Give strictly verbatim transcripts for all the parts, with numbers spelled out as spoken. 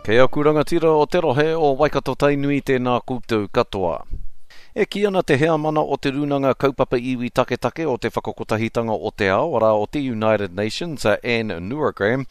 Kei aku rangatira o te rohe o Waikato Tainui, tēnā koutou katoa. E kī ana te heamana o te Rūnanga Kaupapa Iwi Taketake o te Whakakotahitanga o te Ao, arā o te United Nations, a Anne Nurragram,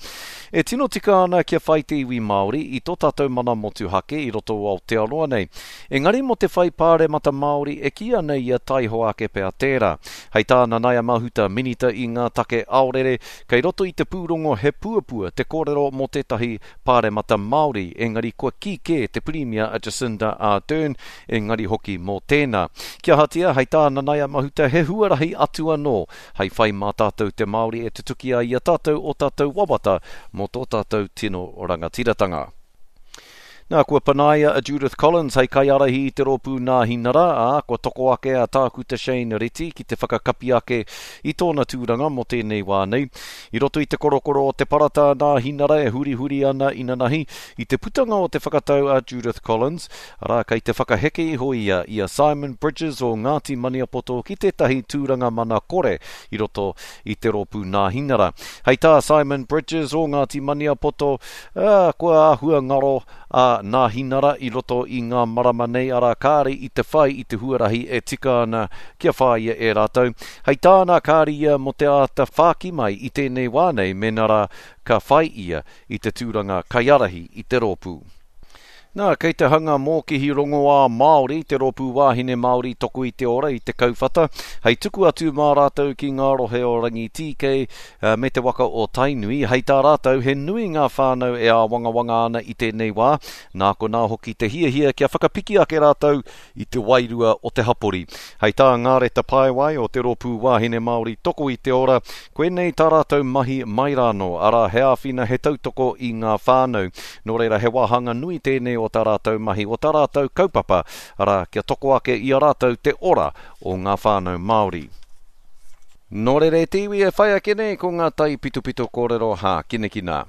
e tino tika ana kia whai te iwi Māori i tō tātou mana motuhake i roto o Aotearoa nei. Engari mō te whai pāremata Māori e kī ana ia taihoa ake pea tērā. Hei tā Nanaia Mahuta, Minita i ngā take aorere, kei roto i te pūrongo he puapua te kōrero mō tētahi pāremata Māori, engari kua kī kē te Pirimia a Jacinda Ardern, engari hoki mō tēnā. Kia ahatia, hei tā Nanaia Mahuta, he huarahi atu anō hei whai mā tātou te Māori e tutuki ai i a tātou o tātou wawata mō tō tātou tino rangatiratanga. Nā, kua panaia a Judith Collins hei kaiārahi i te rōpū Nāhinara, ā, kua toko ake a Tākuta Shane Reti ki te whakakapi ake i tōna tūranga mō tēnei wā nei. I roto i te korokoro o te parata Nāhinara e hurihuri ana inanahi i te putanga o te whakatau a Judith Collins, arā, kei te whakaheke iho ia i a Simon Bridges o Ngāti Maniapoto ki tētahi tūranga mana kore i roto i te rōpū Nāhinara. Hei tā Simon Bridges o Ngāti Maniapoto, ā, kua āhua ngaro a Nāhinara i roto i ngā marama nei, arā kāre i te whai i te huarahi e tika ana kia whāia e rātou. Hei tāna kāre ia mō te āta whāki mai i tēnei wā nei, mēnā rā ka whai ia i te tūranga kaiārahi i te rōpū. Nā, kei te hanga mōkihi rongoā Māori, te rōpū wāhine Māori Toko i te Ora i te kauwhata, hei tuku atu mā rātou ki ngā rohe o Rangitīkei me te waka o Tainui. Hei tā rātou, he nui ngā whānau e āwangawanga ana i tēnei wā, nā konā hoki te hiahia kia whakapiki ake rātou i te wairua o te hapori. Hei tā Ngāreta Paewai o te rōpū wāhine Māori Toko i te Ora, koinei tā rātou mahi mai rānō, arā he āwhina he tautoko i ngā whānau. Nō reira he wāhanga nui tēnei o tā rātou mahi, o tā rātou kaupapa, arā, kia toko ake i a rātou te ora o ngā whānau Māori. Nō reira e te iwi e whai ake nei ko ngā taipitopito kōrero hākinakina.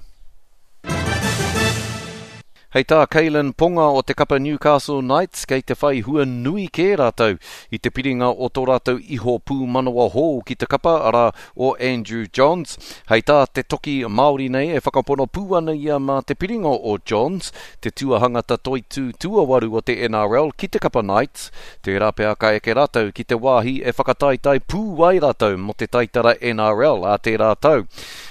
Hei tā Kaylin Ponga o te kapa Newcastle Knights, kei te whai hua nui kē rātou i te piringa o tō rātou iho pūmanawa hou ki te kapa, arā o Andrew Johns. Hei tā te toki Māori nei e whakapono pū ana ia mā te piringa o Johns, te tuahangata toitū tuawaru o te N R L ki te kapa Knights. Tērā pea ka eke rātou ki te wāhi e whakataetae pū ai rātou mō te taitara N R L a tērā tau.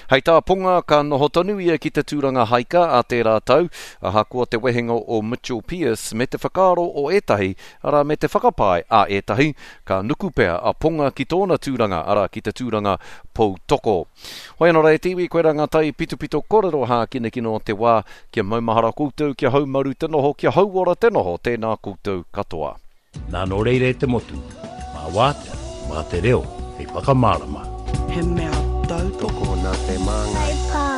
Hei tā Ponga ka noho tonu ia ki te tūranga haika a tērā tau, ahakoa te wehenga o Mitchell Pearce me te whakaaro o ētahi, arā me te whakapae a ētahi, ka nuku pea a Ponga ki tōna tūranga, arā ki te tūranga poutoko. Hoi anō rā e te iwi, koe rā ngā tai pitopito kōrero hākinakina o te wā, kia maumahara koutou, kia haumaru te noho, kia hauora te noho, tēnā koutou katoa. Nā nō reira e te motu, mā wātea, mā te reo, hei whakamārama. He mea tautoko nā te māngai. Whai pānga.